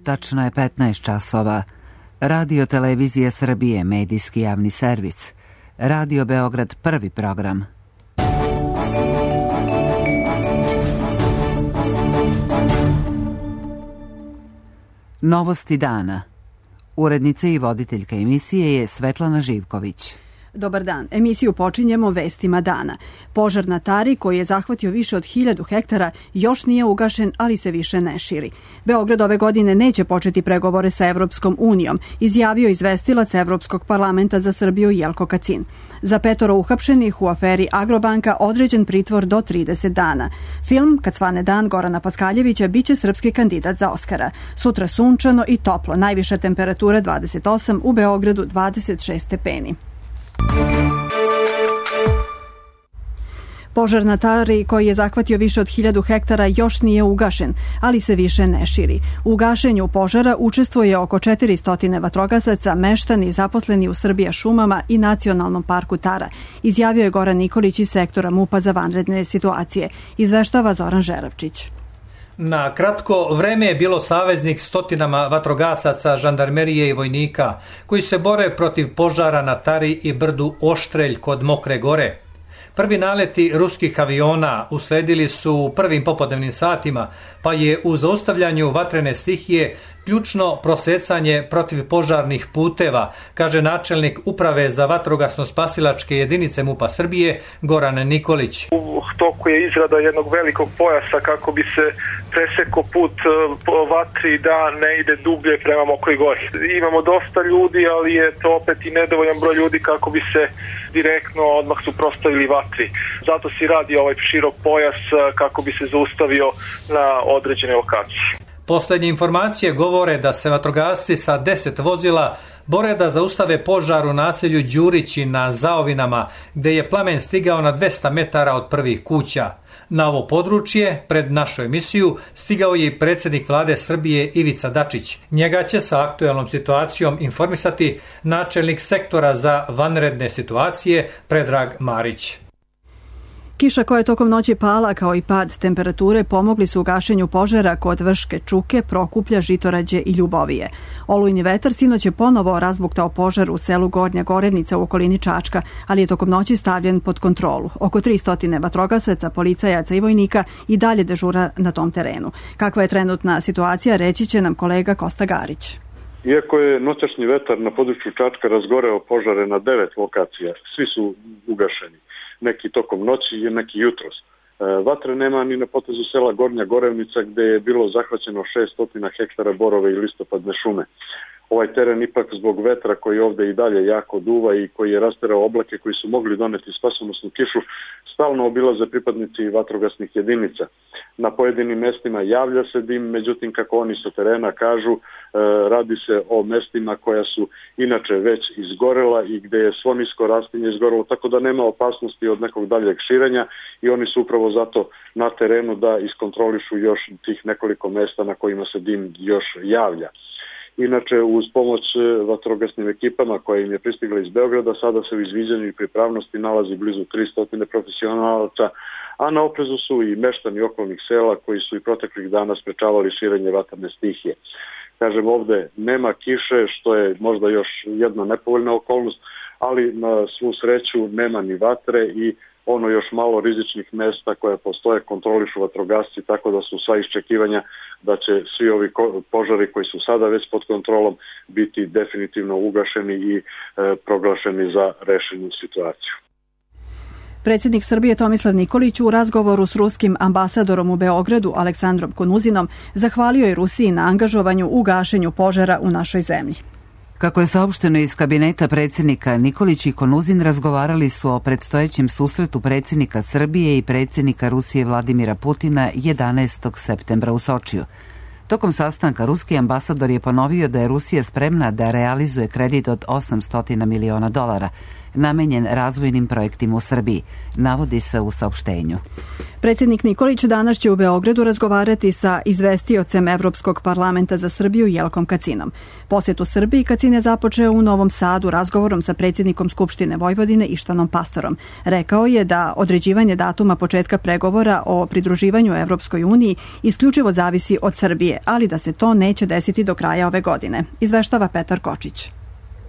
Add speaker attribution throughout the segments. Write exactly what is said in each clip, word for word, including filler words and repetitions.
Speaker 1: Tačno je petnaest časova. Radio Televizija Srbije, medijski javni servis. Radio Beograd, prvi program. Novosti dana. Urednica i voditeljka emisije je Svetlana Živković.
Speaker 2: Dobar dan. Emisiju počinjemo vestima dana. Požar na Tari, koji je zahvatio više od hiljadu hektara, još nije ugašen, ali se više ne širi. Beograd ove godine neće početi pregovore sa Evropskom unijom, izjavio izvestilac Evropskog parlamenta za Srbiju Jelko Kacin. Za petoro uhapšenih u aferi Agrobanka određen pritvor do trideset dana. Film Kad svane dan Gorana Paskaljevića biće srpski kandidat za Oskara. Sutra sunčano i toplo, najviša temperatura dvadeset osam, u Beogradu dvadeset šest stepeni. Požar na Tari, koji je zahvatio više od hiljadu hektara, još nije ugašen, ali se više ne širi. U gašenju požara učestvuje oko četiristo vatrogasaca, meštani zaposleni u Srbija šumama i Nacionalnom parku Tara, izjavio je Goran Nikolić iz sektora MUP-a za vanredne situacije. Izveštava Zoran Žeravčić.
Speaker 3: Na kratko vreme je bilo saveznik stotinama vatrogasaca, žandarmerije i vojnika koji se bore protiv požara na Tari i brdu Oštrelj kod Mokre gore. Prvi naleti ruskih aviona usledili su u prvim popodnevnim satima, pa je u zaustavljanju vatrene stihije ključno prosecanje protivpožarnih puteva, kaže načelnik Uprave za vatrogasno-spasilačke jedinice MUP-a Srbije Goran Nikolić.
Speaker 4: U toku je izrada jednog velikog pojasa kako bi se preseko put po vatri da ne ide dublje prema Mokroj gori. Imamo dosta ljudi, ali je to opet i nedovoljan broj ljudi kako bi se direktno odmah suprotstavili vatri. Zato se radi ovaj širok pojas kako bi se zaustavio na određene lokacije.
Speaker 3: Poslednje informacije govore da se vatrogasci sa deset vozila bore da zaustave požar u naselju Đurići na Zaovinama, gde je plamen stigao na dvesta metara od prvih kuća. Na ovo područje, pred našu emisiju, stigao je i predsjednik vlade Srbije Ivica Dačić. Njega će sa aktuelnom situacijom informisati načelnik sektora za vanredne situacije Predrag Marić.
Speaker 2: Kiša koja je tokom noći pala, kao i pad temperature, pomogli su u gašenju požara kod Vrške Čuke, Prokuplja, Žitorađe i Ljubovije. Olujni vetar sinoć je ponovo razbuktao požar u selu Gornja Gorenica u okolini Čačka, ali je tokom noći stavljen pod kontrolu. Oko tristo vatrogasaca, policajaca i vojnika i dalje dežura na tom terenu. Kakva je trenutna situacija, reći će nam kolega Kosta Garić.
Speaker 5: Iako je noćašnji vetar na području Čačka razgoreo požare na devet lokacija, svi su ugašeni. Neki tokom noći i neki jutros. E, vatre nema ni na potezu sela Gornja Gorevnica, gde je bilo zahvaćeno šessto hektara borove i listopadne šume. Ovaj teren ipak zbog vetra koji ovde i dalje jako duva i koji je rasterao oblake koji su mogli doneti spasonosnu kišu, stalno obilaze pripadnici vatrogasnih jedinica. Na pojedinim mestima javlja se dim, međutim kako oni sa terena kažu, e, radi se o mestima koja su inače već izgorela i gde je svo nisko rastinje izgorelo, tako da nema opasnosti od nekog daljeg širenja i oni su upravo zato na terenu da iskontrolišu još tih nekoliko mesta na kojima se dim još javlja. Inače, uz pomoć vatrogasnim ekipama koja im je pristigla iz Beograda, sada se u izviđanju i pripravnosti nalazi blizu tristo profesionalaca, a na oprezu su i meštani okolnih sela koji su i proteklih dana sprečavali širenje vatrne stihije. Kažem, ovde nema kiše, što je možda još jedna nepovoljna okolnost, ali na svu sreću nema ni vatre i ono još malo rizičnih mesta koje postoje kontrolišu vatrogasci, tako da su sva iščekivanja da će svi ovi požari koji su sada već pod kontrolom biti definitivno ugašeni i e, proglašeni za rešenu situaciju.
Speaker 2: Predsjednik Srbije Tomislav Nikolić u razgovoru s ruskim ambasadorom u Beogradu Aleksandrom Konuzinom zahvalio je Rusiji na angažovanju u gašenju požara u našoj zemlji.
Speaker 1: Kako je saopšteno iz kabineta predsjednika, Nikolić i Konuzin razgovarali su o predstojećem susretu predsjednika Srbije i predsjednika Rusije Vladimira Putina jedanaestog septembra u Sočiju. Tokom sastanka ruski ambasador je ponovio da je Rusija spremna da realizuje kredit od osamsto miliona dolara. namenjen razvojnim projektima u Srbiji, navodi se u saopštenju.
Speaker 2: Predsjednik Nikolić danas će u Beogradu razgovarati sa izvestiocem Evropskog parlamenta za Srbiju Jelkom Kacinom. Posjetu Srbiji Kacin je započeo u Novom Sadu razgovorom sa predsjednikom Skupštine Vojvodine Ištvanom Pastorom. Rekao je da određivanje datuma početka pregovora o pridruživanju Evropskoj uniji isključivo zavisi od Srbije, ali da se to neće desiti do kraja ove godine. Izveštava Petar Kočić.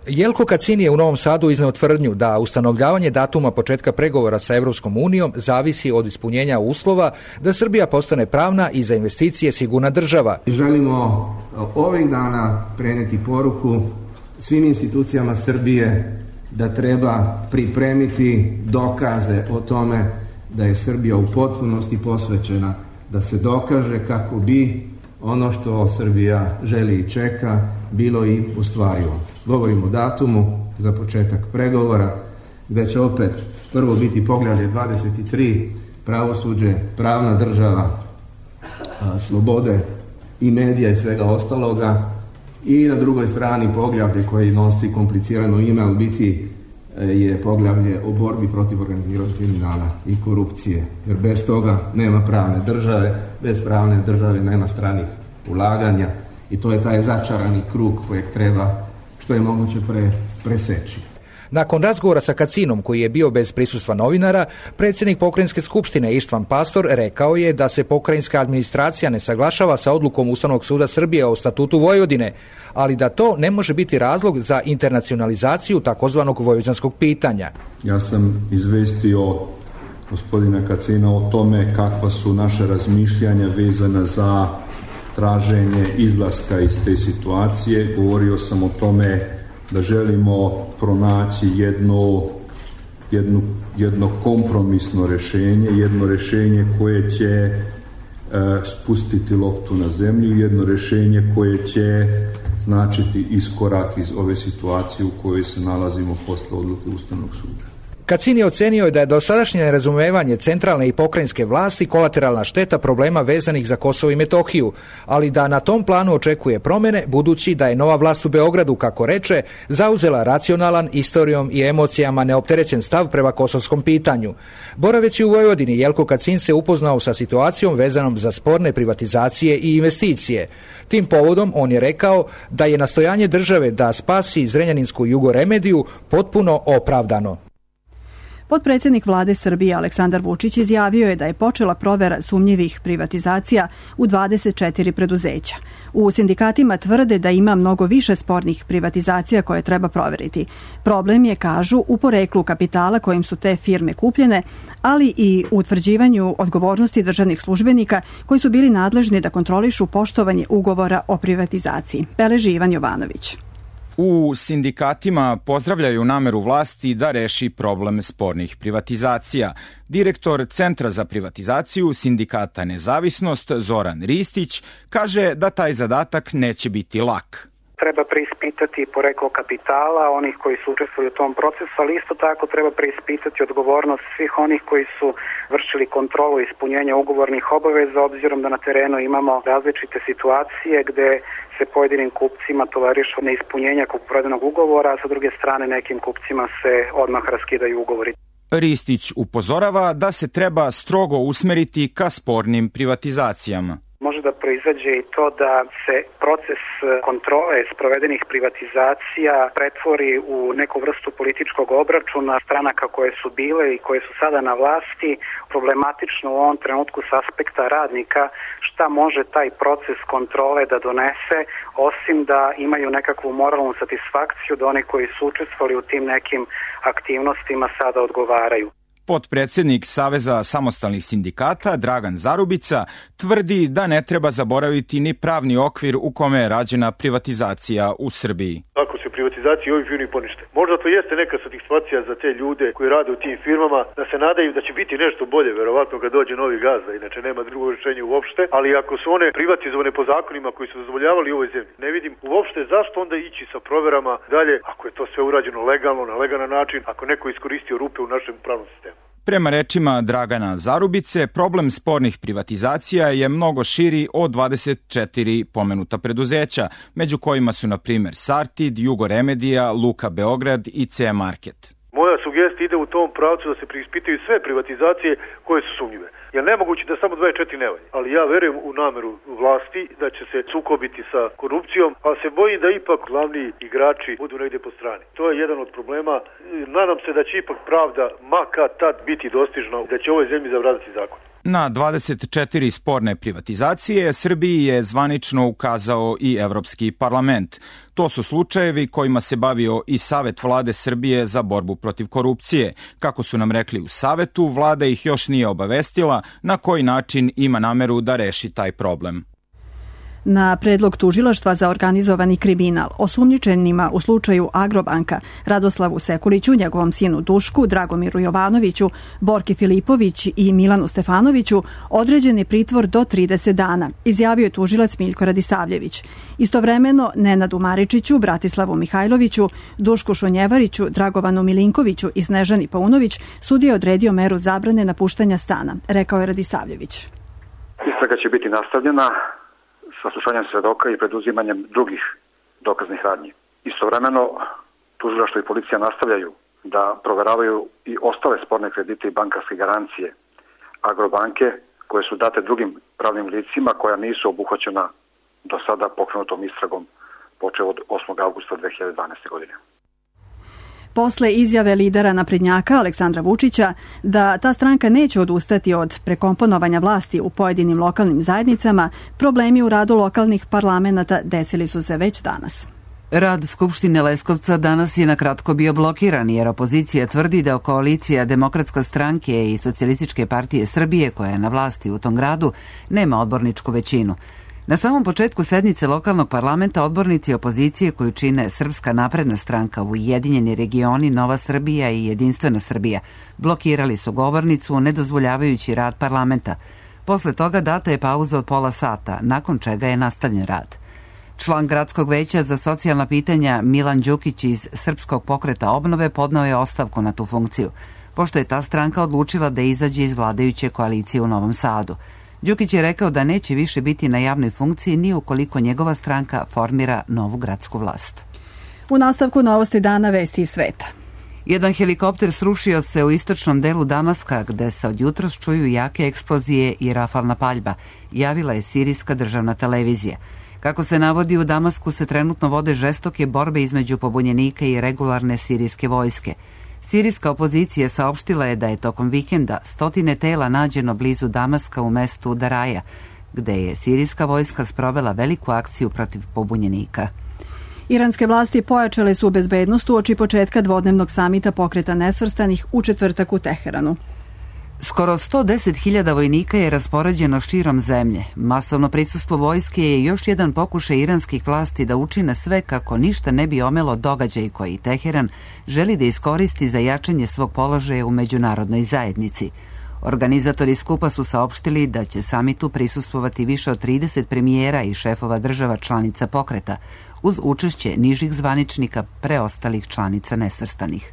Speaker 6: Jelko Kacin je u Novom Sadu izneo tvrdnju da ustanovljavanje datuma početka pregovora sa Evropskom unijom zavisi od ispunjenja uslova da Srbija postane pravna i za investicije sigurna država.
Speaker 7: Želimo ovih dana preneti poruku svim institucijama Srbije da treba pripremiti dokaze o tome da je Srbija u potpunosti posvećena da se dokaže kako bi ono što Srbija želi i čeka bilo i ostvarivo. Govorimo o datumu za početak pregovora, gde će opet prvo biti poglavlje dvadeset tri, pravosuđe, pravna država, slobode i medija i svega ostaloga, i na drugoj strani poglavlje koji nosi komplicirano ime, ali biti je poglavlje o borbi protiv organiziranog kriminala i korupcije. Jer bez toga nema pravne države, bez pravne države nema stranih ulaganja i to je taj začarani krug kojeg treba što je moguće pre, preseći.
Speaker 6: Nakon razgovora sa Kacinom, koji je bio bez prisustva novinara, predsjednik Pokrajinske skupštine Ištvan Pastor rekao je da se pokrajinska administracija ne saglašava sa odlukom Ustavnog suda Srbije o statutu Vojvodine, ali da to ne može biti razlog za internacionalizaciju takozvanog vojvođanskog pitanja.
Speaker 8: Ja sam izvestio gospodina Kacina o tome kakva su naše razmišljanja vezana za traženje izlaska iz te situacije. Govorio sam o tome da želimo pronaći jedno, jedno, jedno kompromisno rješenje, jedno rješenje koje će e, spustiti loptu na zemlju, jedno rješenje koje će značiti iskorak iz ove situacije u kojoj se nalazimo posle odluke Ustavnog suda.
Speaker 6: Kacin je ocenio da je dosadašnje nerazumevanje centralne i pokrajinske vlasti kolateralna šteta problema vezanih za Kosovo i Metohiju, ali da na tom planu očekuje promjene, budući da je nova vlast u Beogradu, kako reče, zauzela racionalan, istorijom i emocijama neopterećen stav prema kosovskom pitanju. Boraveći u Vojvodini, Jelko Kacin se upoznao sa situacijom vezanom za sporne privatizacije i investicije. Tim povodom on je rekao da je nastojanje države da spasi Zrenjaninsku Jugoremediju potpuno opravdano.
Speaker 2: Potpredsjednik vlade Srbije Aleksandar Vučić izjavio je da je počela provera sumnjivih privatizacija u dvadeset četiri preduzeća. U sindikatima tvrde da ima mnogo više spornih privatizacija koje treba proveriti. Problem je, kažu, u poreklu kapitala kojim su te firme kupljene, ali i u utvrđivanju odgovornosti državnih službenika koji su bili nadležni da kontrolišu poštovanje ugovora o privatizaciji. Beleži Ivan Jovanović.
Speaker 9: U sindikatima pozdravljaju nameru vlasti da reši problem spornih privatizacija. Direktor Centra za privatizaciju sindikata Nezavisnost Zoran Ristić kaže da taj zadatak neće biti lak.
Speaker 10: Treba preispitati poreklo kapitala onih koji su učestvovali u tom procesu, ali isto tako treba preispitati odgovornost svih onih koji su vršili kontrolu ispunjenja ugovornih obaveza, obzirom da na terenu imamo različite situacije gde se pojedinim kupcima tolerišu neispunjenja kupoprodajnog ugovora, a sa druge strane nekim kupcima se odmah raskidaju ugovori.
Speaker 9: Ristić upozorava da se treba strogo usmeriti ka spornim privatizacijama.
Speaker 10: Može da proizađe i to da se proces kontrole sprovedenih privatizacija pretvori u neku vrstu političkog obračuna stranaka koje su bile i koje su sada na vlasti. Problematično u ovom trenutku s aspekta radnika šta može taj proces kontrole da donese, osim da imaju nekakvu moralnu satisfakciju da oni koji su učestvovali u tim nekim aktivnostima sada odgovaraju.
Speaker 9: Potpredsjednik Saveza samostalnih sindikata Dragan Zarubica tvrdi da ne treba zaboraviti ni pravni okvir u kome je rađena privatizacija u Srbiji.
Speaker 11: Ako se privatizacija ovih firmi ponište, možda to jeste neka satisfakcija za te ljude koji rade u tim firmama, da se nadaju da će biti nešto bolje, verovatno kad dođe novi gazda, inače nema drugo rješenje uopšte, ali ako su one privatizovane po zakonima koji su dozvoljavali u ovoj zemlji, ne vidim uopšte zašto onda ići sa proverama dalje, ako je to sve urađeno legalno, na legalan način, ako neko iskoristio rupe u našem pravnom sistemu.
Speaker 9: Prema rečima Dragana Zarubice, problem spornih privatizacija je mnogo širi od dvadeset četiri pomenuta preduzeća, među kojima su na primjer Sartid, Jugoremedija, Luka Beograd i C Market.
Speaker 11: Moja sugestija ide u tom pravcu da se preispitaju sve privatizacije koje su sumnjive. Jer nemoguće da samo dvadeset četiri ne valje. Ali ja verujem u nameru vlasti da će se sukobiti sa korupcijom, ali se bojim da ipak glavni igrači budu negdje po strani. To je jedan od problema. Nadam se da će ipak pravda ma kad tad biti dostižna, da će ovoj zemlji zavladati zakon.
Speaker 9: Na dvadeset četiri sporne privatizacije Srbiji je zvanično ukazao i Evropski parlament. To su slučajevi kojima se bavio i Savet vlade Srbije za borbu protiv korupcije. Kako su nam rekli u Savetu, vlada ih još nije obavestila na koji način ima nameru da reši taj problem.
Speaker 2: Na predlog tužilaštva za organizovani kriminal osumnjičenima u slučaju Agrobanka Radoslavu Sekuliću, njegovom sinu Dušku, Dragomiru Jovanoviću, Borki Filipović i Milanu Stefanoviću određen je pritvor do trideset dana, izjavio je tužilac Miljko Radisavljević. Istovremeno Nenadu Maričiću, Bratislavu Mihajloviću, Dušku Šonjevariću, Dragovanu Milinkoviću i Snežani Paunović sudija je odredio meru zabrane napuštanja stana, rekao je Radisavljević.
Speaker 12: Istraga će biti nastavljena sa slušanjem svedoka i preduzimanjem drugih dokaznih radnji. Istovremeno, tužilaštvo i policija nastavljaju da proveravaju i ostale sporne kredite i bankarske garancije Agrobanke koje su date drugim pravnim licima koja nisu obuhvaćena do sada pokrenutom istragom počev od osmog avgusta dve hiljade dvanaeste. godine.
Speaker 2: Posle izjave lidera naprednjaka Aleksandra Vučića da ta stranka neće odustati od prekomponovanja vlasti u pojedinim lokalnim zajednicama, problemi u radu lokalnih parlamenta desili su se već danas.
Speaker 1: Rad Skupštine Leskovca danas je na kratko bio blokiran jer opozicija tvrdi da koalicija Demokratske stranke i Socijalističke partije Srbije, koja je na vlasti u tom gradu, nema odborničku većinu. Na samom početku sednice lokalnog parlamenta odbornici opozicije koju čine Srpska napredna stranka, Ujedinjeni regioni, Nova Srbija i Jedinstvena Srbija blokirali su govornicu ne dozvoljavajući rad parlamenta. Posle toga data je pauza od pola sata, nakon čega je nastavljen rad. Član Gradskog veća za socijalna pitanja Milan Đukić iz Srpskog pokreta obnove podneo je ostavku na tu funkciju, pošto je ta stranka odlučila da izađe iz vladajuće koalicije u Novom Sadu. Đukić je rekao da neće više biti na javnoj funkciji ni ukoliko njegova stranka formira novu gradsku vlast.
Speaker 2: U nastavku novosti dana vesti iz sveta.
Speaker 1: Jedan helikopter srušio se u istočnom delu Damaska, gde se od jutros čuju jake eksplozije i rafalna paljba, javila je sirijska državna televizija. Kako se navodi, u Damasku se trenutno vode žestoke borbe između pobunjenika i regularne sirijske vojske. Sirijska opozicija saopštila je da je tokom vikenda stotine tela nađeno blizu Damaska u mestu Daraja, gde je sirijska vojska sprovela veliku akciju protiv pobunjenika.
Speaker 2: Iranske vlasti pojačale su bezbednost uoči početka dvodnevnog samita Pokreta nesvrstanih u četvrtak u Teheranu.
Speaker 1: Skoro sto deset hiljada vojnika je raspoređeno širom zemlje. Masovno prisustvo vojske je još jedan pokušaj iranskih vlasti da učine sve kako ništa ne bi omelo događaj koji Teheran želi da iskoristi za jačanje svog položaja u međunarodnoj zajednici. Organizatori skupa su saopštili da će samitu prisustvovati više od trideset premijera i šefova država članica pokreta, uz učešće nižih zvaničnika preostalih članica nesvrstanih.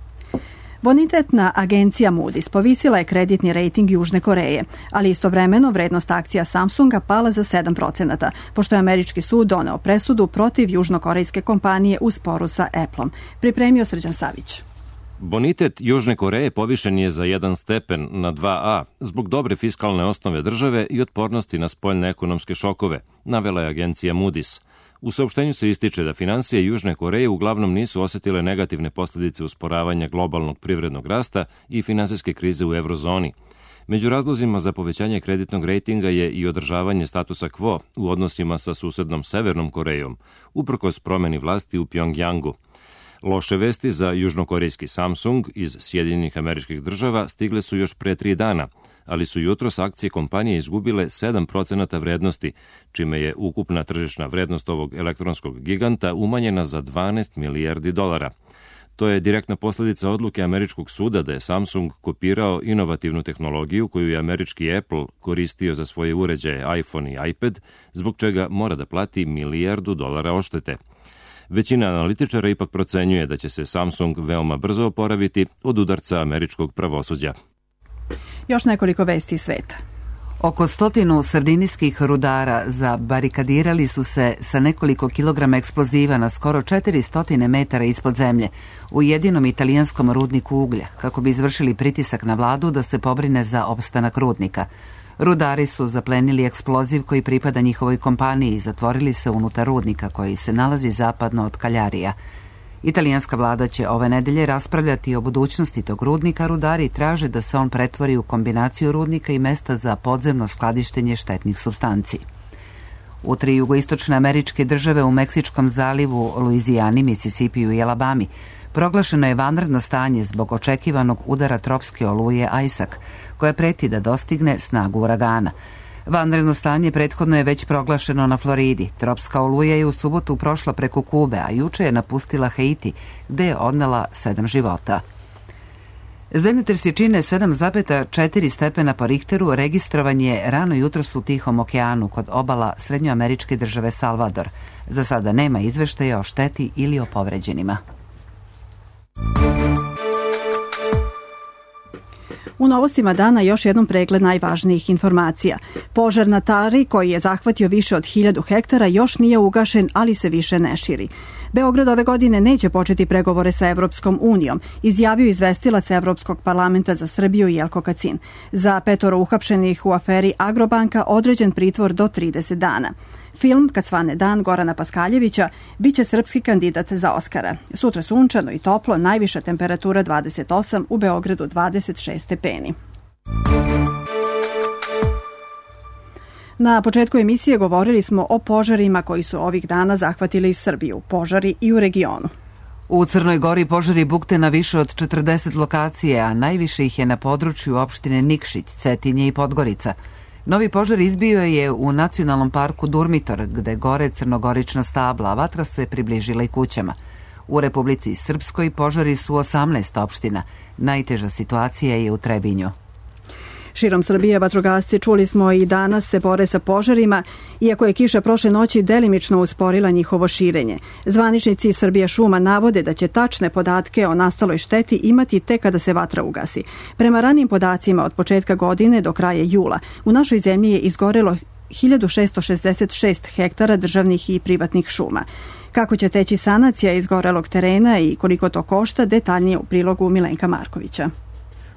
Speaker 2: Bonitetna agencija Moody's povisila je kreditni rejting Južne Koreje, ali istovremeno vrednost akcija Samsunga pala za sedam procenata, pošto je američki sud doneo presudu protiv južnokorejske kompanije u sporu sa Appleom. Pripremio Srđan Savić.
Speaker 13: Bonitet Južne Koreje povišen je za jedan stepen na dva A zbog dobre fiskalne osnove države i otpornosti na spoljne ekonomske šokove, navela je agencija Moody's. U saopštenju se ističe da finansije Južne Koreje uglavnom nisu osetile negativne posljedice usporavanja globalnog privrednog rasta i finansijske krize u eurozoni. Među razlozima za povećanje kreditnog rejtinga je i održavanje statusa quo u odnosima sa susednom Severnom Korejom, uprkos promeni vlasti u Pjongjangu. Loše vesti za južnokorejski Samsung iz Sjedinjenih Američkih Država stigle su još pre tri dana, ali su jutros akcije kompanije izgubile sedam procenata vrednosti, čime je ukupna tržišna vrednost ovog elektronskog giganta umanjena za dvanaest milijardi dolara. To je direktna posljedica odluke američkog suda da je Samsung kopirao inovativnu tehnologiju koju je američki Apple koristio za svoje uređaje iPhone i iPad, zbog čega mora da plati milijardu dolara odštete. Većina analitičara ipak procenjuje da će se Samsung veoma brzo oporaviti od udarca američkog pravosuđa.
Speaker 2: Još nekoliko vesti iz sveta.
Speaker 1: Oko stotinu sardinijskih rudara zabarikadirali su se sa nekoliko kilograma eksploziva na skoro četiri stotine metara ispod zemlje u jedinom italijanskom rudniku uglja, kako bi izvršili pritisak na vladu da se pobrine za opstanak rudnika. Rudari su zaplenili eksploziv koji pripada njihovoj kompaniji i zatvorili se unutar rudnika koji se nalazi zapadno od Kaljarija. Italijanska vlada će ove nedelje raspravljati o budućnosti tog rudnika. Rudari traže da se on pretvori u kombinaciju rudnika i mesta za podzemno skladištenje štetnih supstanci. U tri jugoistočne američke države u Meksičkom zalivu, Luizijani, Misisipiju i Alabami proglašeno je vanredno stanje zbog očekivanog udara tropske oluje Aisak, koja preti da dostigne snagu uragana. Vanredno stanje prethodno je već proglašeno na Floridi. Tropska oluja je u subotu prošla preko Kube, a juče je napustila Haiti, gde je odnela sedam života. Zemljotresi čine sedam zarez četiri stepena po Richteru, registrovan je rano jutros u Tihom okeanu kod obala srednjoameričke države Salvador. Za sada nema izveštaja o šteti ili o povređenima.
Speaker 2: U novostima dana još jednom pregled najvažnijih informacija. Požar na Tari, koji je zahvatio više od hiljadu hektara, još nije ugašen, ali se više ne širi. Beograd ove godine neće početi pregovore sa Evropskom unijom, izjavio izvestilac Evropskog parlamenta za Srbiju Jelko Kacin. Za petoro uhapšenih u aferi Agrobanka određen pritvor do trideset dana. Film Kad svane dan Gorana Paskaljevića biće srpski kandidat za Oskara. Sutra sunčano i toplo, najviša temperatura dvadeset osam, u Beogradu dvadeset šest stepeni. Na početku emisije govorili smo o požarima koji su ovih dana zahvatili Srbiju, požari i u regionu.
Speaker 1: U Crnoj Gori požari bukte na više od četrdeset lokacije, a najviše ih je na području opštine Nikšić, Cetinje i Podgorica. Novi požar izbio je u nacionalnom parku Durmitor, gde gore crnogorična stabla, a vatra se približila i kućama. U Republici Srpskoj požari su osamnaest opština. Najteža situacija je u Trebinju.
Speaker 2: Širom Srbije vatrogasci, čuli smo, i danas se bore sa požarima, iako je kiša prošle noći delimično usporila njihovo širenje. Zvaničnici Srbija šuma navode da će tačne podatke o nastaloj šteti imati tek kada se vatra ugasi. Prema ranim podacima od početka godine do kraja jula, u našoj zemlji je izgorelo hiljadu šesto šezdeset šest hektara državnih i privatnih šuma. Kako će teći sanacija izgorelog terena i koliko to košta, detaljnije u prilogu Milenka Markovića.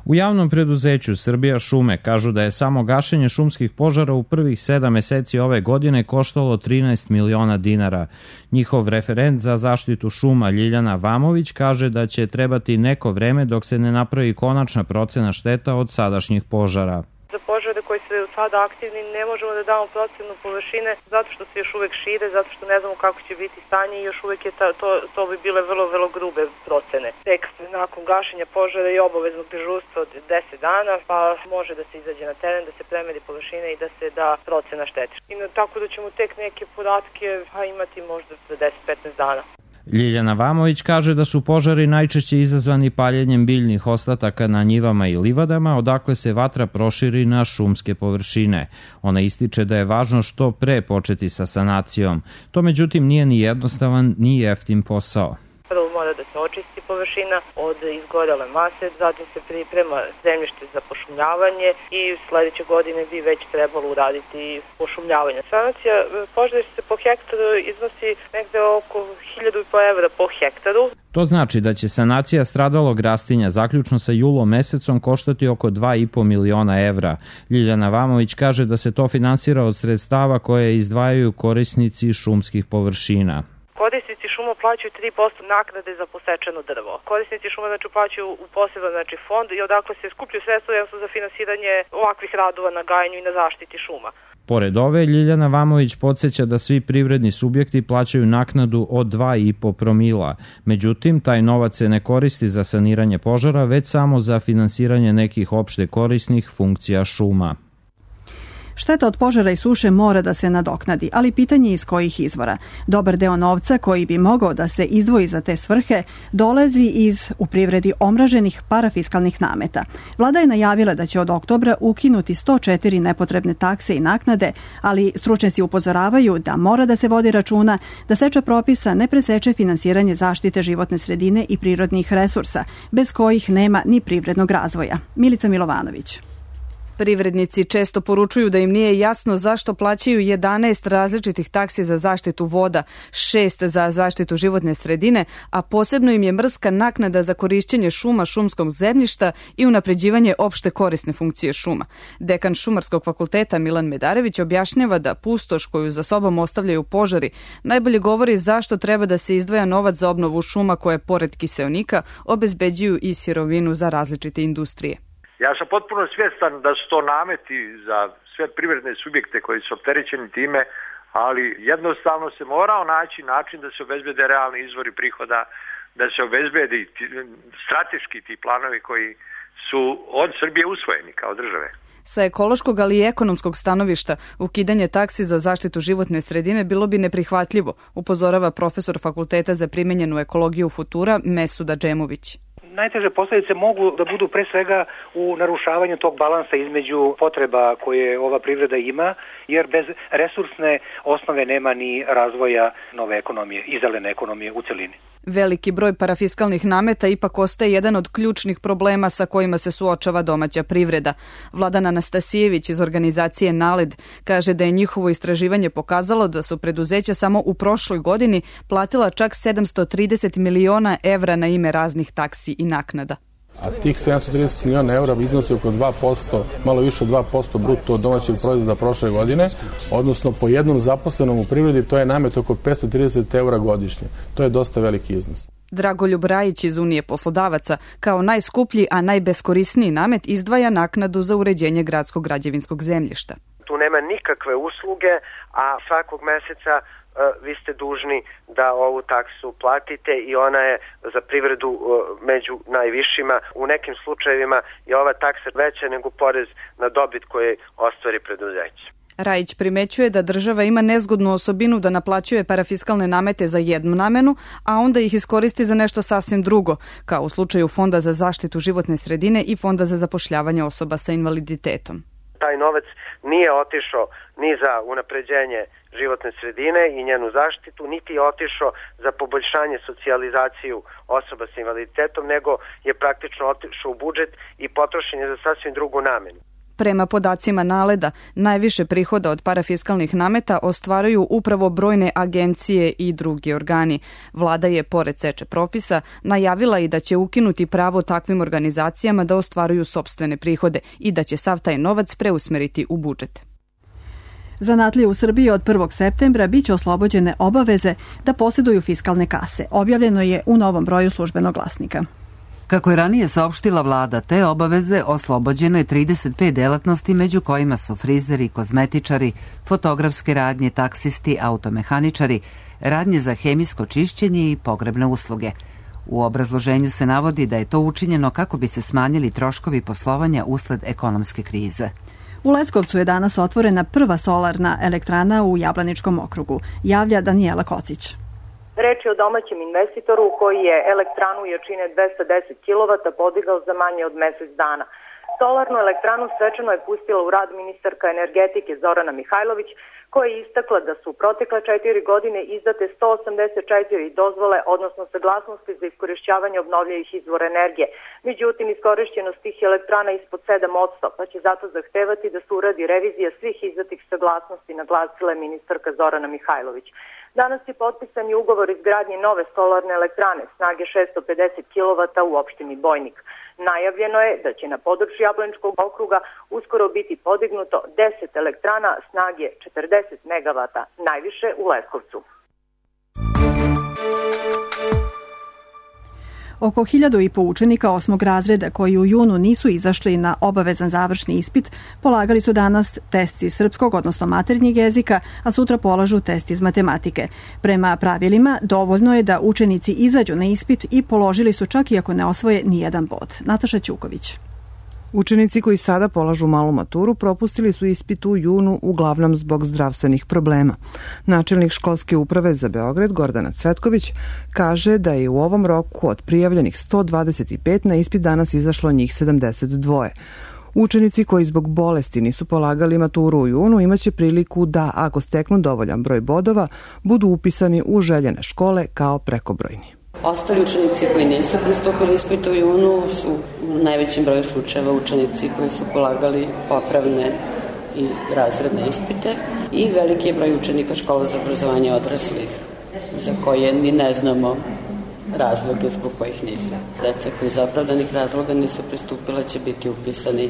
Speaker 14: U javnom preduzeću Srbija šume kažu da je samo gašenje šumskih požara u prvih sedam meseci ove godine koštalo trinaest miliona dinara. Njihov referent za zaštitu šuma Ljiljana Vamović kaže da će trebati neko vreme dok se ne napravi konačna procena šteta od sadašnjih požara.
Speaker 15: Za požare koji su sada aktivni ne možemo da damo procenu površine zato što se još uvek šire, zato što ne znamo kako će biti stanje i još uvek je ta, to, to bi bile vrlo, vrlo grube procene. Tek nakon gašenja požara je obaveznog dežurstva od deset dana, pa može da se izađe na teren, da se premeri površine i da se da procena štete. I tako da ćemo tek neke podatke a, imati možda za deset do petnaest dana.
Speaker 14: Ljiljana Vamović kaže da su požari najčešće izazvani paljenjem biljnih ostataka na njivama i livadama, odakle se vatra proširi na šumske površine. Ona ističe da je važno što pre početi sa sanacijom. To međutim nije ni jednostavan ni jeftin posao.
Speaker 15: Prvo mora da se očisti površina od izgorele mase, zatim se priprema zemljište za pošumljavanje i sledeće godine bi već trebalo uraditi pošumljavanje. Sanacija požara se po hektaru iznosi negde oko hiljadu i po evra po hektaru.
Speaker 14: To znači da će sanacija stradalog rastinja zaključno sa julom mesecom koštati oko dva i po miliona evra. Ljiljana Vamović kaže da se to finansira od sredstava koje izdvajaju korisnici šumskih površina.
Speaker 15: Korisnici šuma plaćaju tri posto naknade za posečeno drvo. Korisnici šuma znači plaćaju u poseban znači fond i odakle se skupljaju sredstva za finansiranje ovakvih radova na gajenju i na zaštiti šuma.
Speaker 14: Pored ove, Ljiljana Vamović podsjeća da svi privredni subjekti plaćaju naknadu od dva i po promila. Međutim, taj novac se ne koristi za saniranje požara, već samo za finansiranje nekih opšte korisnih funkcija šuma.
Speaker 2: Šteta od požara i suše mora da se nadoknadi, ali pitanje je iz kojih izvora. Dobar deo novca koji bi mogao da se izdvoji za te svrhe dolazi iz u privredi omraženih parafiskalnih nameta. Vlada je najavila da će od oktobra ukinuti sto četiri nepotrebne takse i naknade, ali stručnjaci upozoravaju da mora da se vodi računa da seča propisa ne preseče finansiranje zaštite životne sredine i prirodnih resursa, bez kojih nema ni privrednog razvoja. Milica Milovanović.
Speaker 16: Privrednici često poručuju da im nije jasno zašto plaćaju jedanaest različitih taksi za zaštitu voda, šest za zaštitu životne sredine, a posebno im je mrska naknada za korišćenje šuma, šumskog zemljišta i unapređivanje opšte korisne funkcije šuma. Dekan Šumarskog fakulteta Milan Medarević objašnjava da pustoš koju za sobom ostavljaju požari najbolje govori zašto treba da se izdvaja novac za obnovu šuma koje, pored kiseonika, obezbeđuju i sirovinu za različite industrije.
Speaker 17: Ja sam potpuno svjestan da su to nameti za sve privredne subjekte koji su opterećeni time, ali jednostavno se morao naći način da se obezbede realni izvori prihoda, da se obezbedi strateški ti planovi koji su od Srbije usvojeni kao države.
Speaker 16: Sa ekološkog, ali i ekonomskog stanovišta, ukidanje taksi za zaštitu životne sredine bilo bi neprihvatljivo, upozorava profesor Fakulteta za primenjenu ekologiju Futura Mesuda Džemović.
Speaker 18: Najteže posljedice mogu da budu pre svega u narušavanju tog balansa između potreba koje ova privreda ima, jer bez resursne osnove nema ni razvoja nove ekonomije i zelene ekonomije u celini.
Speaker 16: Veliki broj parafiskalnih nameta ipak ostaje jedan od ključnih problema sa kojima se suočava domaća privreda. Vladan Anastasijević iz organizacije NALED kaže da je njihovo istraživanje pokazalo da su preduzeća samo u prošloj godini platila čak sedamsto trideset miliona evra na ime raznih taksi i naknada.
Speaker 19: A tih sedamsto trideset miliona evra iznosi oko dva posto, malo više od dva posto bruto domaćeg proizvoda prošle godine, odnosno po jednom zaposlenom u privredi to je namet oko petsto trideset evra godišnje. To je dosta veliki iznos.
Speaker 16: Dragoljub Rajić iz Unije poslodavaca kao najskuplji, a najbeskorisniji namet izdvaja naknadu za uređenje gradskog građevinskog zemljišta.
Speaker 20: Tu nema nikakve usluge, a svakog meseca vi ste dužni da ovu taksu platite i ona je za privredu među najvišima. U nekim slučajevima je ova taksa veća nego porez na dobit koji ostvari preduzeće.
Speaker 16: Rajić primećuje da država ima nezgodnu osobinu da naplaćuje parafiskalne namete za jednu namenu, a onda ih iskoristi za nešto sasvim drugo, kao u slučaju Fonda za zaštitu životne sredine i Fonda za zapošljavanje osoba sa invaliditetom.
Speaker 20: Taj novac nije otišao ni za unapređenje životne sredine i njenu zaštitu, niti je otišao za poboljšanje socijalizaciju osoba sa invaliditetom, nego je praktično otišao u budžet i potrošen je za sasvim drugu namenu.
Speaker 16: Prema podacima NALED-a, najviše prihoda od parafiskalnih nameta ostvaruju upravo brojne agencije i drugi organi. Vlada je, pored seče propisa, najavila i da će ukinuti pravo takvim organizacijama da ostvaruju sopstvene prihode i da će sav taj novac preusmeriti u budžet.
Speaker 2: Zanatlije u Srbiji od prvog septembra biće oslobođene obaveze da posjeduju fiskalne kase. Objavljeno je u novom broju Službenog glasnika.
Speaker 1: Kako je ranije saopštila vlada, te obaveze oslobođeno je trideset pet delatnosti, među kojima su frizeri, kozmetičari, fotografske radnje, taksisti, automehaničari, radnje za hemijsko čišćenje i pogrebne usluge. U obrazloženju se navodi da je to učinjeno kako bi se smanjili troškovi poslovanja usled ekonomske krize.
Speaker 2: U Leskovcu je danas otvorena prva solarna elektrana u Jablaničkom okrugu, javlja Danijela Kocić.
Speaker 21: Reč je o domaćem investitoru koji je elektranu jačine dvesta deset kilovata podigao za manje od mesec dana. Solarnu elektranu svečano je pustila u rad ministarka energetike Zorana Mihajlović, koja je istakla da su u protekle četiri godine izdate sto osamdeset četiri dozvole, odnosno saglasnosti za iskorišćavanje obnovljivih izvora energije. Međutim, iskorišćenost tih elektrana ispod sedam posto, pa će zato zahtevati da se uradi revizija svih izdatih saglasnosti, naglasila je ministarka Zorana Mihajlović. Danas je potpisan i ugovor izgradnje nove solarne elektrane snage šessto pedeset kilovata u opštini Bojnik. Najavljeno je da će na području Jablaničkog okruga uskoro biti podignuto deset elektrana snage četrdeset megavata, najviše u Leskovcu.
Speaker 2: Oko hiljadu i po učenika osmog razreda koji u junu nisu izašli na obavezan završni ispit, polagali su danas test iz srpskog, odnosno maternjeg jezika, a sutra polažu test iz matematike. Prema pravilima, dovoljno je da učenici izađu na ispit i položili su čak i ako ne osvoje nijedan bod. Nataša Ćuković.
Speaker 22: Učenici koji sada polažu malu maturu propustili su ispit u junu uglavnom zbog zdravstvenih problema. Načelnik školske uprave za Beograd Gordana Cvetković kaže da je u ovom roku od prijavljenih sto dvadeset pet na ispit danas izašlo njih sedamdeset dva. Učenici koji zbog bolesti nisu polagali maturu u junu imaće priliku da, ako steknu dovoljan broj bodova, budu upisani u željene škole kao prekobrojni.
Speaker 3: Ostali učenici koji nisu pristupili ispitu u junu su u najvećem broju slučajeva učenici koji su polagali popravne i razredne ispite i veliki je broj učenika škola za obrazovanje odraslih za koje ni ne znamo razloge zbog kojih nisu. Deca koji iz opravdanih razloga nisu pristupila će biti upisani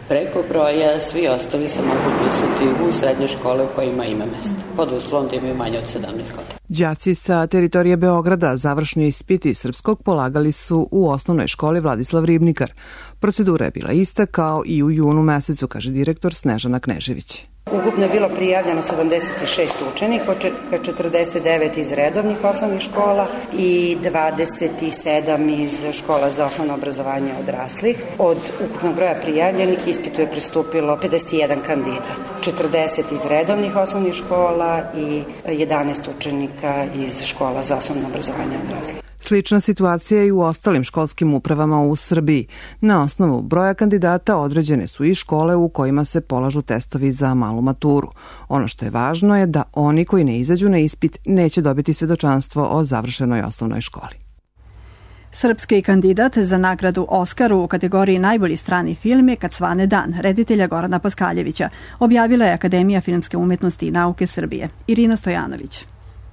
Speaker 3: preko broja, svi ostali se mogu upisati u srednje škole u kojima ima mesta, pod uslovom da imaju manje od sedamnaest godina.
Speaker 22: Đaci sa teritorije Beograda završni ispiti srpskog polagali su u osnovnoj školi Vladislav Ribnikar. Procedura je bila ista kao i u junu mesecu, kaže direktor Snežana Knežević.
Speaker 4: Ukupno je bilo prijavljeno sedamdeset šest učenika, četrdeset devet iz redovnih osnovnih škola i dvadeset sedam iz škola za osnovno obrazovanje odraslih. Od ukupnog broja prijavljenih ispitu je pristupilo pedeset jedan kandidat, četrdeset iz redovnih osnovnih škola i jedanaest učenika iz škola za osnovno obrazovanje odraslih.
Speaker 22: Slična situacija je i u ostalim školskim upravama u Srbiji. Na osnovu broja kandidata određene su i škole u kojima se polažu testovi za malu maturu. Ono što je važno je da oni koji ne izađu na ispit neće dobiti svedočanstvo o završenoj osnovnoj školi.
Speaker 2: Srpski kandidat za nagradu Oskaru u kategoriji najbolji strani film je Kad svane dan, reditelja Gorana Paskaljevića, objavila je Akademija filmske umetnosti i nauke Srbije. Irina Stojanović.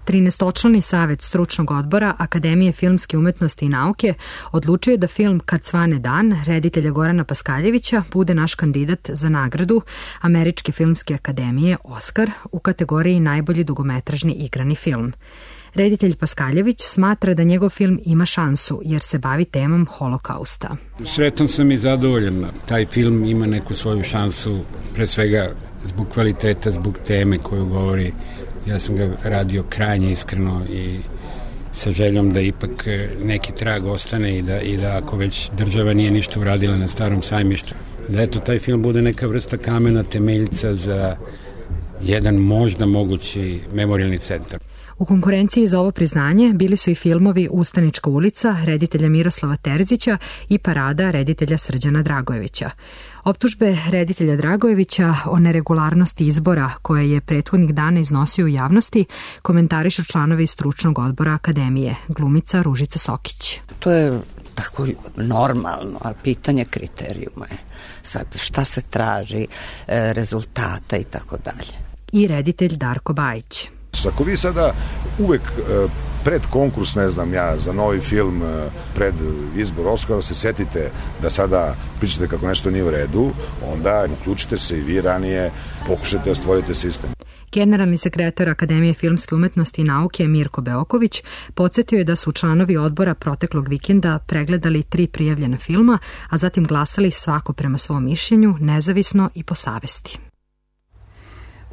Speaker 23: trinaestočlani savet stručnog odbora Akademije filmske umetnosti i nauke odlučio je da film Kad svane dan, reditelja Gorana Paskaljevića, bude naš kandidat za nagradu Američke filmske akademije Oskar u kategoriji najbolji dugometražni igrani film. Reditelj Paskaljević smatra da njegov film ima šansu jer se bavi temom holokausta.
Speaker 24: Sretan sam i zadovoljan. Taj film ima neku svoju šansu, pre svega zbog kvaliteta, zbog teme koju govori. Ja sam ga radio krajnje iskreno i sa željom da ipak neki trag ostane i da, i da ako već država nije ništa uradila na Starom sajmištu, da eto taj film bude neka vrsta kamena temeljca za jedan možda mogući memorijalni centar.
Speaker 23: U konkurenciji za ovo priznanje bili su i filmovi Ustanička ulica reditelja Miroslava Terzića i Parada reditelja Srđana Dragojevića. Optužbe reditelja Dragojevića o neregularnosti izbora koje je prethodnih dana iznosio u javnosti komentarišu članovi stručnog odbora Akademije, glumica Ružica Sokić.
Speaker 25: To je tako normalno, ali pitanje kriterijuma je sad šta se traži, rezultata i tako dalje.
Speaker 23: I reditelj Darko Bajić.
Speaker 26: Ako vi sada uvek pred konkurs, ne znam ja, za novi film, pred izbor Oskara se setite da sada pričate kako nešto nije u redu, onda uključite se i vi ranije, pokušajte da stvorite sistem.
Speaker 23: Generalni sekretar Akademije filmske umetnosti i nauke Mirko Beoković podsjetio je da su članovi odbora proteklog vikenda pregledali tri prijavljena filma, a zatim glasali svako prema svom mišljenju, nezavisno i po savesti.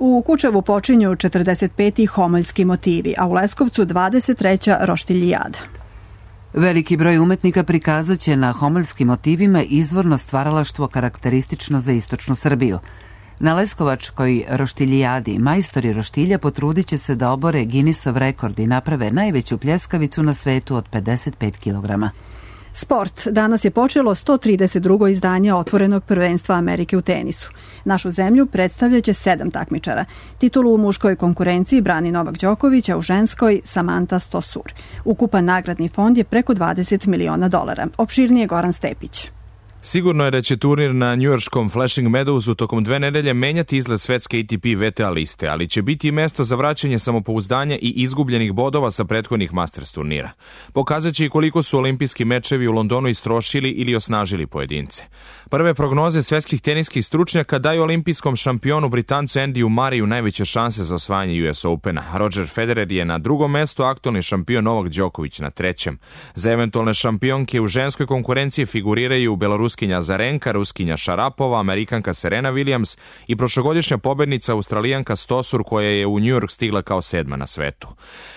Speaker 2: U Kučevu počinju četrdeset peti homoljski motivi, a u Leskovcu dvadeset treća roštiljijada.
Speaker 1: Veliki broj umetnika prikazat će na homoljskim motivima izvorno stvaralaštvo karakteristično za istočnu Srbiju. Na Leskovačkoj roštiljijadi majstori roštilja potrudit će se da obore Guinnessov rekord i naprave najveću pljeskavicu na svetu od pedeset pet kilograma.
Speaker 2: Sport. Danas je počelo sto trideset drugo izdanje otvorenog prvenstva Amerike u tenisu. Našu zemlju predstavljaće sedam takmičara. Titulu u muškoj konkurenciji brani Novak Đoković, a u ženskoj Samanta Stosur. Ukupan nagradni fond je preko dvadeset miliona dolara. Opširnije Goran Stepić.
Speaker 27: Sigurno je da će turnir na njujorškom Flushing Meadowsu tokom dve nedelje menjati izgled svetske A T P V T A liste, ali će biti i mesto za vraćanje samopouzdanja i izgubljenih bodova sa prethodnih Masters turnira. Pokazat će i koliko su olimpijski mečevi u Londonu istrošili ili osnažili pojedince. Prve prognoze svetskih teniskih stručnjaka daju olimpijskom šampionu Britancu Andyju Murrayu najveće šanse za osvajanje U S Opena. Roger Federer je na drugom mestu, aktualni šampion Novak Đoković na trećem. Za eventualne šampionke u ženskoj konkurenciji figuriraju Belarus Ruskinja Zarenka, Ruskinja Šarapova, Amerikanka Serena Williams i prošlogodišnja pobednica Australijanka Stosur koja je u New York stigla kao sedma na svetu.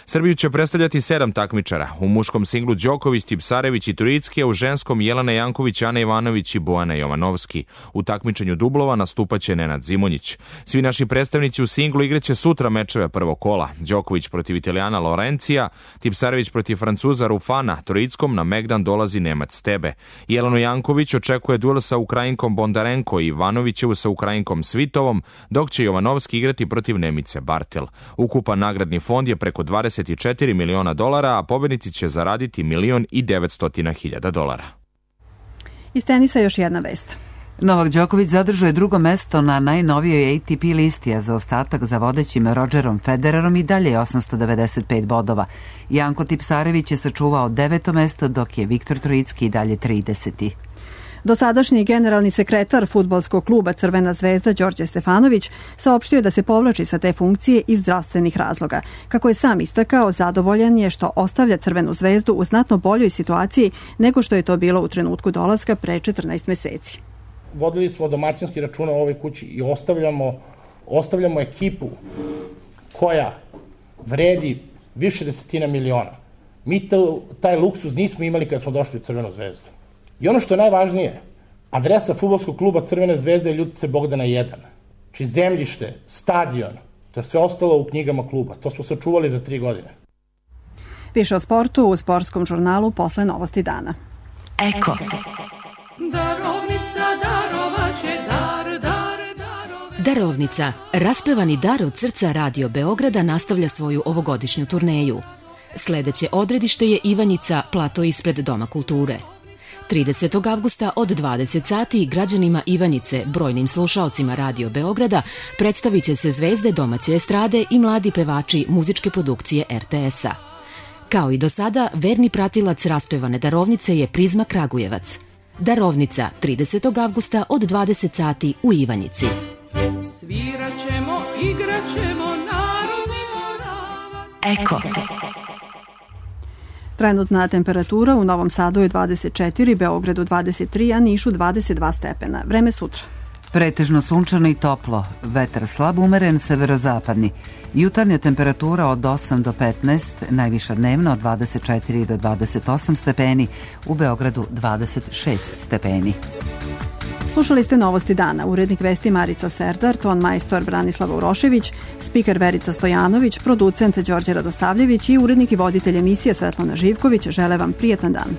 Speaker 27: Srbiju će predstavljati sedam takmičara. U muškom singlu Đoković, Tipsarević i Turicki, a u ženskom Jelena Janković, Ana Ivanović i Bojana Jovanovski. U takmičenju dublova nastupaće Nenad Zimonjić. Svi naši predstavnici u singlu igraće sutra mečeve prvog kola. Đoković protiv Italijana Lorencija, Tipsarević protiv Francuza Rufana, Turickom na Megdan dolazi Nemac Tebe. Jelenu Janković očekuje duel sa Ukrajinkom Bondarenko i Ivanovićevu sa Ukrajinkom Svitovom, dok će Jovanovski igrati protiv Nemice Bartel. Ukupan nagradni fond je preko dvadeset četiri miliona dolara, a pobednici će zaraditi milion i devetstotina hiljada dolara.
Speaker 2: Iz tenisa još jedna vest.
Speaker 1: Novak Đoković zadržuje drugo mesto na najnovijoj A T P listi, a za ostatak za vodećim Rodgerom Federerom i dalje je osamsto devedeset pet bodova. Janko Tipsarević je sačuvao deveto mesto, dok je Viktor Trojicki i dalje trideseti.
Speaker 2: Dosadašnji generalni sekretar fudbalskog kluba Crvena zvezda Đorđe Stefanović saopštio da se povlači sa te funkcije iz zdravstvenih razloga. Kako je sam istakao, zadovoljan je što ostavlja Crvenu zvezdu u znatno boljoj situaciji nego što je to bilo u trenutku dolaska pre četrnaest meseci.
Speaker 5: Vodili smo domaćinski račun o ovoj kući i ostavljamo, ostavljamo ekipu koja vredi više desetina miliona. Mi to, taj luksuz nismo imali kada smo došli u Crvenu zvezdu. I ono što je najvažnije, adresa fudbalskog kluba Crvene zvezde je Ljubice Bogdana jedan. Či zemljište, stadion, to je sve ostalo u knjigama kluba. To smo sačuvali za tri godine.
Speaker 2: Više o sportu u sportskom žurnalu posle Novosti dana.
Speaker 6: Eko. Darovnica darovaće dar, dar, darove. Darovnica, raspevani dar od srca Radio Beograda nastavlja svoju ovogodišnju turneju. Sledeće odredište je Ivanjica, plato ispred Doma kulture. tridesetog avgusta od dvadeset sati građanima Ivanjice, brojnim slušaocima Radio Beograda, predstavit će se zvezde domaće estrade i mladi pevači muzičke produkcije R T S-a. Kao i do sada, verni pratilac raspevane darovnice je Prizma Kragujevac. Darovnica, tridesetog avgusta od dvadeset sati u Ivanjici. Sviraćemo, igraćemo, narodni moravac. Eko.
Speaker 2: Trenutna temperatura u Novom Sadu je dvadeset četiri, Beogradu dvadeset tri, a Nišu dvadeset dva stepena. Vreme sutra.
Speaker 1: Pretežno sunčano i toplo, vetar slab umeren severozapadni. Jutarnja temperatura od osam do petnaest, najviša dnevna od dvadeset četiri do dvadeset osam stepeni, u Beogradu dvadeset šest stepeni.
Speaker 2: Slušali ste Novosti dana, urednik vesti Marica Serdar, ton majstor Branislava Urošević, spiker Verica Stojanović, producent Đorđe Radosavljević i urednik i voditelj emisije Svetlana Živković. Žele vam prijetan dan.